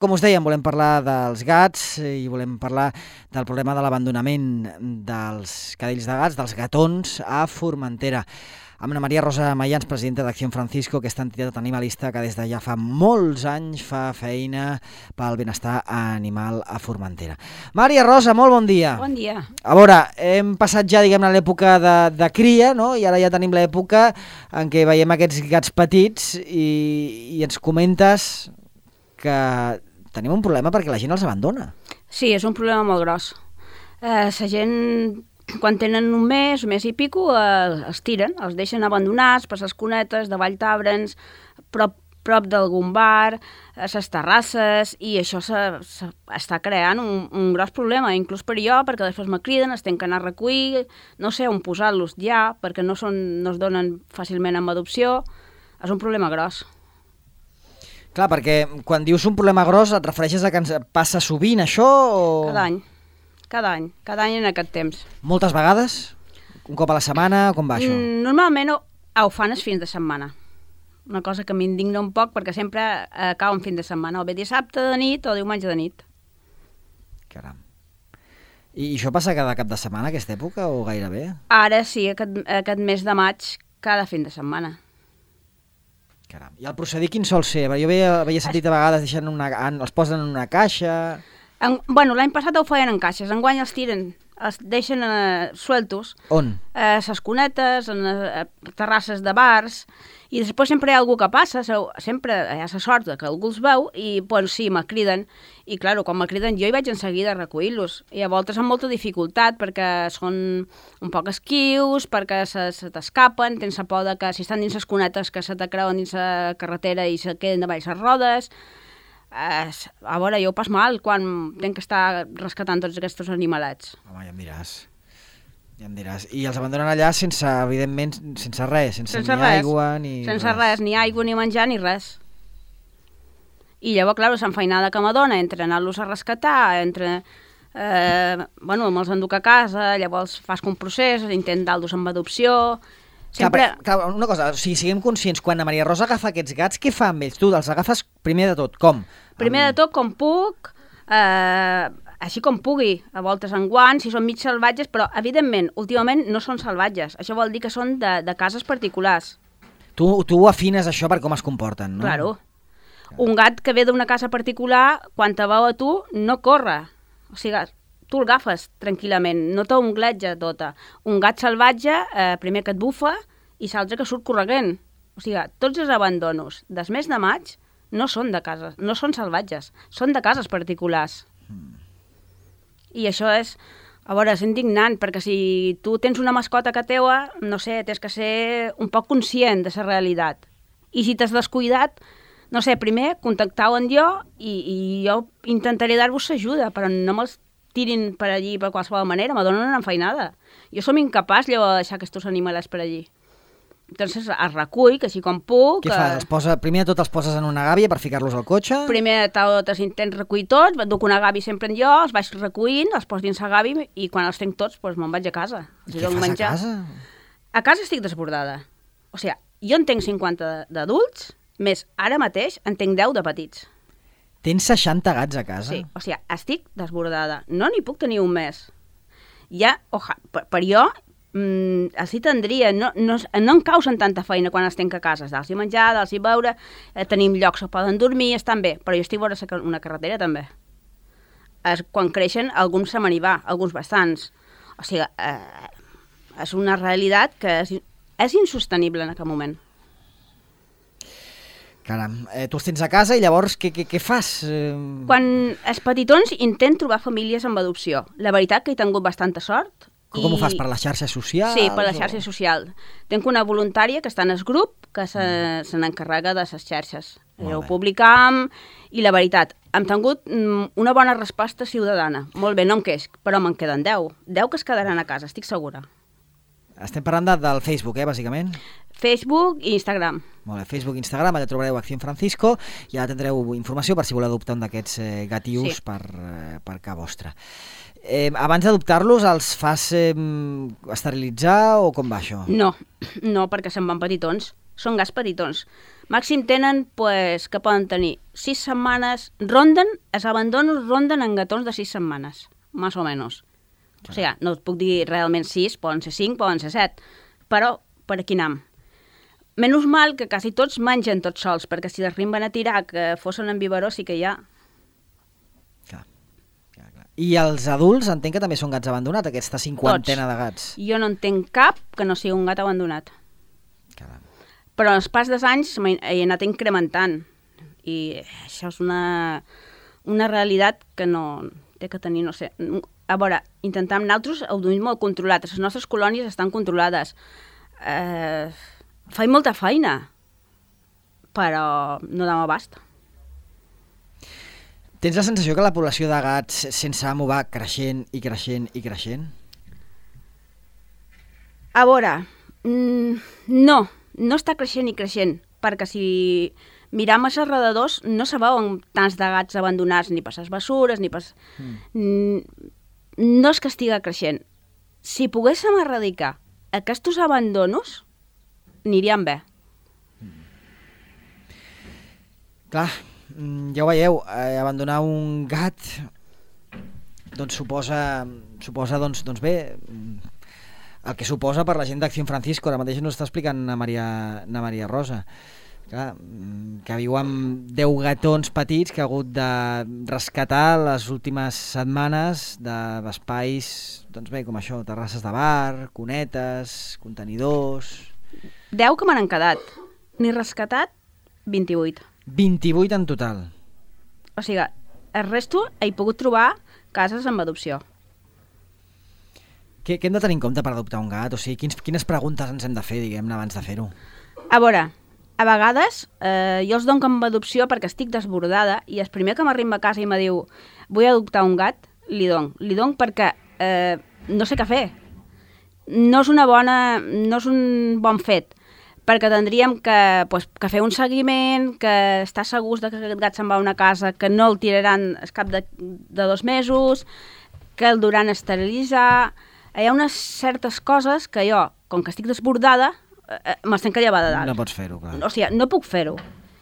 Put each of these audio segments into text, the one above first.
Com us dèiem, volem parlar dels gats i volem parlar del problema de l'abandonament dels cadells de gats, dels gatons, a Formentera. Amb Ana Maria Rosa Mayans, presidenta d'Acción Francisco, aquesta entitat animalista que des de ja fa molts anys fa feina pel benestar animal a Formentera. Maria Rosa, molt bon dia. Bon dia. A veure, hem passat ja, diguem-ne, l'època de cria, no? I ara ja tenim l'època en què veiem aquests gats petits i ens comentes que tenim un problema perquè la gent els abandona. Sí, és un problema molt gros. La gent, quan tenen un mes i pico, els tiren, els deixen abandonats per les cunetes de Valltabrens, prop d'algun bar, a les terrasses, i això està creant un gros problema, inclús per jo, perquè després me criden, es tenen que anar a recollir, no sé on posar-los ja, perquè no es donen fàcilment amb adopció. És un problema gros. Clar, perquè quan dius un problema gros et refereixes a que ens passa sovint això o... Cada any en aquest temps. Moltes vegades? Un cop a la setmana? Com va això? Normalment ho fan els fins de setmana. Una cosa que m'indigna un poc perquè sempre cau en fin de setmana, o bé dissabte de nit o diumenge de nit. Caram. I això passa cada cap de setmana, aquesta època, o gairebé? Ara sí, aquest mes de maig, cada fin de setmana. Caram. I el procedir quin sol ser? Jo havia sentit a vegades els posen en una caixa... L'any passat ho feien en caixes, enguany els tiren, els deixen sueltos. On? A les cunetes, a terrasses de bars, i després sempre hi ha algú que passa, sempre hi ha la sort que algú els veu, i sí, me criden, i clar, quan me criden jo hi vaig en seguida a recollir-los, i a voltes amb molta dificultat, perquè són un poc esquius, perquè se t'escapen, tens la por que si estan dins les cunetes que se te creuen dins la carretera i se queden davall les rodes. A veure, jo ho pas mal quan tenc que estar rescatant tots aquests animalets. Home, ja em diràs. I els abandonen allà sense, evidentment, sense res, sense ni aigua ni res. Sense res, ni aigua, ni menjar, ni res. I llavors, clar, l'enfeinada que m'adona entre anar-los a rescatar, entre... me'ls enduc a casa, llavors fas un procés, intent dar-los amb adopció... Sempre... Clar, una cosa, si siguem conscients, quan la Maria Rosa agafa aquests gats, què fa amb ells? Tu els agafes primer de tot, com? Primer de tot, com puc... així com pugui, a voltes en guants, si són mig salvatges, però, evidentment, últimament no són salvatges. Això vol dir que són de cases particulars. Tu afines això per com es comporten, no? Claro. Un gat que ve d'una casa particular, quan te veu a tu, no corre. O sigui, tu el agafes tranquil·lament, no t'ungletja tota. Un gat salvatge, primer que et bufa, i l'altre que surt corregent. O sigui, tots els abandonos del mes de maig no són de cases, no són salvatges, són de cases particulars. I això és, a veure, és indignant, perquè si tu tens una mascota que teua, no sé, tens que ser un poc conscient de la realitat. I si t'has descuidat, no sé, primer contactau amb jo i jo intentaré dar-vos ajuda, però no me'ls tirin per allí per qualsevol manera, me donen una enfeinada. Jo som incapaç de deixar aquests animalets per allí. Entonces els recull, que així com puc... Què fas? Primer de tot els poses en una gàbia per ficar-los al cotxe? Primer de tot els intents recollir tots, duc una gàbia sempre en jo, els vaig recollint, els poso dins la gàbia i quan els tenc tots me'n vaig a casa. Què fas a casa? A casa estic desbordada. O sigui, jo en tenc 50 d'adults, més ara mateix en tenc 10 de petits. Tens 60 gats a casa? Sí, o sigui, estic desbordada. No n'hi puc tenir un mes. Ja, per jo... els hi tindria, no em causen tanta feina quan els tenc a casa, dels hi menjar, dels hi beure, tenim llocs on poden dormir, estan bé, però jo estic vora una carretera també. Quan creixen, alguns se me n'hi va, alguns bastants. O sigui, és una realitat que és insostenible en aquest moment. Caram, tu els tens a casa i llavors què fas? Quan els petitons intent trobar famílies amb adopció. La veritat que he tingut bastanta sort. Com ho fas, per les xarxes socials? Sí, per la xarxa social. Tenc una voluntària que està en el grup que se n'encarrega de les xarxes. Ho publicam i la veritat, hem tingut una bona resposta ciutadana. Molt bé, no em queix, però me'n queden 10. 10 que es quedaran a casa, estic segura. Estem parlant del Facebook, bàsicament? Facebook i Instagram. Molt bé, Facebook i Instagram, allà trobareu Acción Francisco i allà tindreu informació per si voleu adoptar un d'aquests gatius per casa vostra. Abans d'adoptar-los els fas esterilitzar o com va això? No, perquè se'n van petitons. Són gats petitons. Màxim tenen, pues, que poden tenir 6 setmanes, els abandonos ronden en gatons de 6 setmanes, més o menys. O sigui, no et puc dir realment 6, poden ser 5, poden ser 7, però per aquí anem. Menys mal que quasi tots mengen tots sols, perquè si l'arriben a tirar que fossin en biberó sí que hi ha. Clar. I els adults entenc que també són gats abandonats, aquesta cinquantena de gats. Jo no entenc cap que no sigui un gat abandonat. Caram. Però en els pas dels anys he anat incrementant. I això és una realitat que no té que tenir, no sé... A veure, intentem nosaltres ho duim molt controlat. Les nostres colònies estan controlades. Faig molta feina, però no dam abast. Tens la sensació que la població de gats sense amo va creixent i creixent i creixent? A veure, no està creixent i creixent, perquè si miram als alrededors no se veuen tants de gats abandonats ni per les bessures, ni per... No és que estigui creixent. Si poguéssim erradicar aquests abandonos, aniríem bé. Clar, ja ho veieu, abandonar un gat doncs suposa doncs bé, el que suposa per la gent d'Acció Francisco. Ara mateix ens està explicant na Maria Rosa. Clar, que viu amb 10 gatons petits que ha hagut de rescatar les últimes setmanes d'espais, doncs bé, com això, terrasses de bar, cunetes, contenidors... 10 que me n'han quedat. N'he rescatat 28. 28 en total. O sigui, el resto he pogut trobar cases amb adopció. Què hem de tenir en compte per adoptar un gat? O sigui, quines preguntes ens hem de fer, diguem-ne, abans de fer-ho? A veure, a vegades jo els dono amb adopció perquè estic desbordada i el primer que m'arriba a casa i me diu vull adoptar un gat, li dono perquè no sé què fer. No és un bon fet, perquè tindríem que fer un seguiment, que estar segurs que aquest gat se'n va a una casa, que no el tiraran al cap de 2 mesos, que el duran a esterilitzar... Hi ha unes certes coses que jo, com que estic desbordada, me'ls tenc que llevar de dalt. No pots fer-ho, clar. O sigui, no puc fer-ho.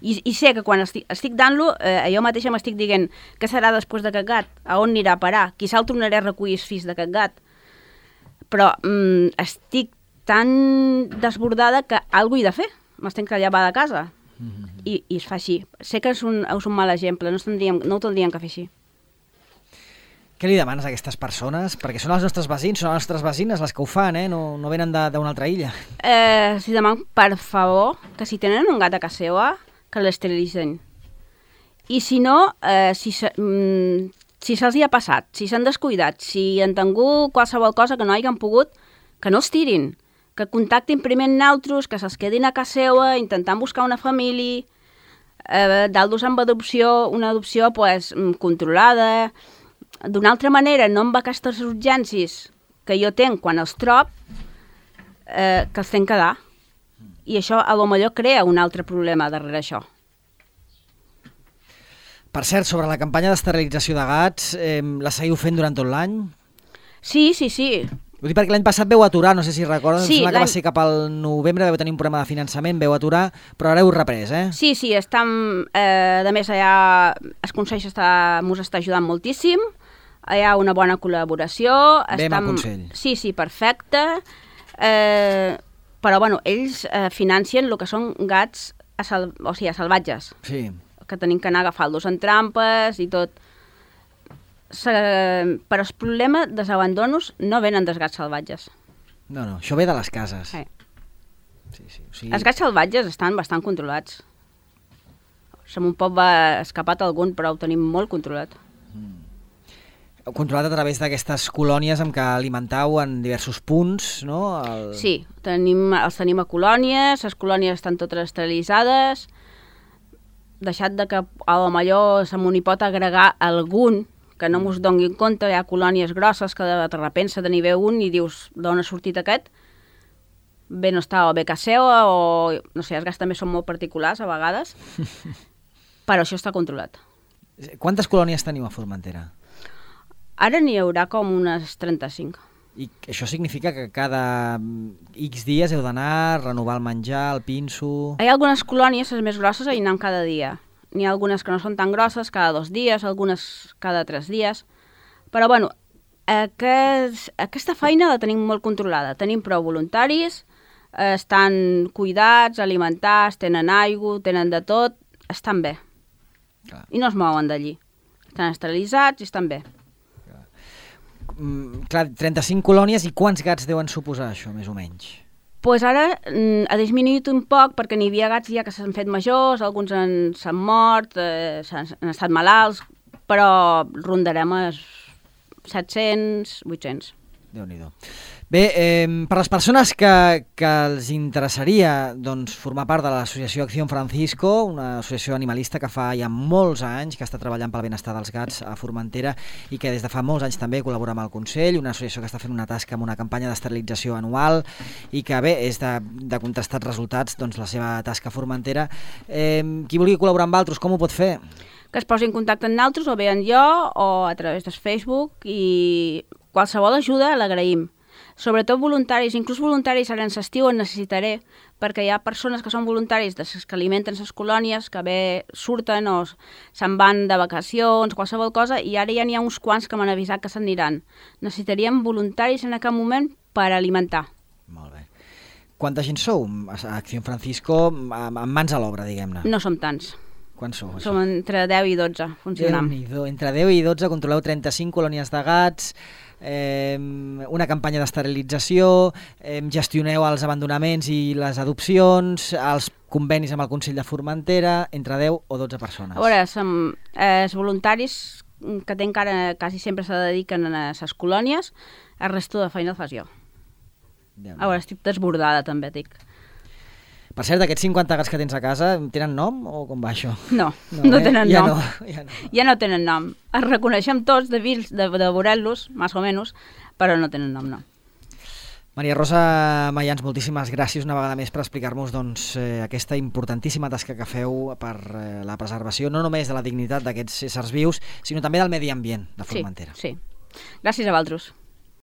I sé que quan estic dant-lo, jo mateixa m'estic dient què serà després d'aquest gat, a on anirà a parar, qui se'l tornaré a recollir els fills d'aquest gat. Però estic tan desbordada que alguna cosa he de fer. Me'ls tenc que llevar de casa. I es fa així. Sé que és un mal exemple, no ho tindríem que fer així. Què li demanes a aquestes persones? Perquè són els nostres veïns, són les nostres veïnes les que ho fan, no venen d'una altra illa. Si demanen, per favor, que si tenen un gat a casa seva, que l'esterilitzen. I si no, si se'ls hi ha passat, si s'han descuidat, si han tingut qualsevol cosa que no hagin pogut, que no els tirin, que contactin primer amb nosaltres, que se'ls quedin a casa seva, intentant buscar una família, d'altres amb adopció, una adopció controlada. D'una altra manera, no amb aquestes urgències que jo tenc quan els trob, que els tenc que dar. I això, a lo millor, crea un altre problema darrere això. Per cert, sobre la campanya d'esterilització de gats, la seguiu fent durant tot l'any? Sí. Ho dic perquè l'any passat veu aturar, no sé si recordes, sí, que va ser cap al novembre, vau tenir un problema de finançament, veu aturar, però ara heu reprès, eh? Sí, estem... a més, allà el Consell mos està ajudant moltíssim, hi ha una bona col·laboració. Bé amb el Consell. Sí, perfecte. Però, bueno, ells financien el que són gats salvatges. Sí. Que tenim que anar a agafar-los en trampes i tot. Però el problema dels abandonos no venen dels gats salvatges. No, això ve de les cases. Sí. O sigui... Els gats salvatges estan bastant controlats. Se m'un pot va escapat algun, però ho tenim molt controlat. Controlat a través d'aquestes colònies amb què alimentau en diversos punts, no? Sí, els tenim a colònies, les colònies estan totes esterilitzades, deixat de que a lo millor se m'hi pot agregar algun que no mos doni compte, hi ha colònies grosses que de repente se n'hi ve un i dius d'on ha sortit aquest, bé no està o bé casa seva o no sé, els gats també són molt particulars a vegades, però això està controlat. Quantes colònies teniu a Formentera? Ara n'hi haurà com unes 35. I això significa que cada X dies heu d'anar a renovar el menjar, el pinso... Hi ha algunes colònies, les més grosses, hi anem cada dia. N'hi ha algunes que no són tan grosses, cada 2 dies, algunes cada 3 dies. Però, bueno, aquesta feina la tenim molt controlada. Tenim prou voluntaris, estan cuidats, alimentats, tenen aigua, tenen de tot, estan bé. Clar. I no es mouen d'allí. Estan esterilitzats i estan bé. Clar, 35 colònies, i quants gats deuen suposar això, més o menys? Pues ara ha disminuït un poc perquè n'hi havia gats ja que s'han fet majors, alguns s'han mort, han estat malalts, però rondarem els 700, 800. Déu-n'hi-do. Bé, per les persones que els interessaria formar part de l'associació Acción Francisco, una associació animalista que fa ja molts anys que està treballant pel benestar dels gats a Formentera i que des de fa molts anys també col·labora amb el Consell, una associació que està fent una tasca amb una campanya d'esterilització anual i que bé, és de contrastats resultats la seva tasca a Formentera. Qui vulgui col·laborar amb altres, com ho pot fer? Que es posi en contacte amb nosaltres, o bé en jo, o a través del Facebook, i qualsevol ajuda l'agraïm. Sobretot voluntaris, inclús voluntaris ara en l'estiu en necessitaré, perquè hi ha persones que són voluntaris que alimenten les colònies, que bé surten o se'n van de vacacions, qualsevol cosa, i ara ja n'hi ha uns quants que m'han avisat que se'n aniran. Necessitaríem voluntaris en aquest moment per alimentar. Molt bé. Quanta gent sou a Acción Francisco amb mans a l'obra, diguem-ne? No som tants. Quants sou? Som entre 10 i 12, funcionam. Entre 10 i 12 controleu 35 colònies de gats, una campanya d'esterilització, gestioneu els abandonaments i les adopcions, els convenis amb el Consell de Formentera, entre 10 o 12 persones. A veure, els voluntaris que té encara quasi sempre se dediquen a les colònies, el resto de feina el fas jo. A veure, estic desbordada també, dic. Per cert, aquests 50 gats que tens a casa, tenen nom o com va això? No tenen nom. Ja no tenen nom. Els reconeixem tots de veure-los, més o menys, però no tenen nom, no. Maria Rosa Mayans, moltíssimes gràcies una vegada més per explicar-nos aquesta importantíssima tasca que feu per la preservació, no només de la dignitat d'aquests éssers vius, sinó també del medi ambient de Formentera. Sí. Gràcies a vosaltres.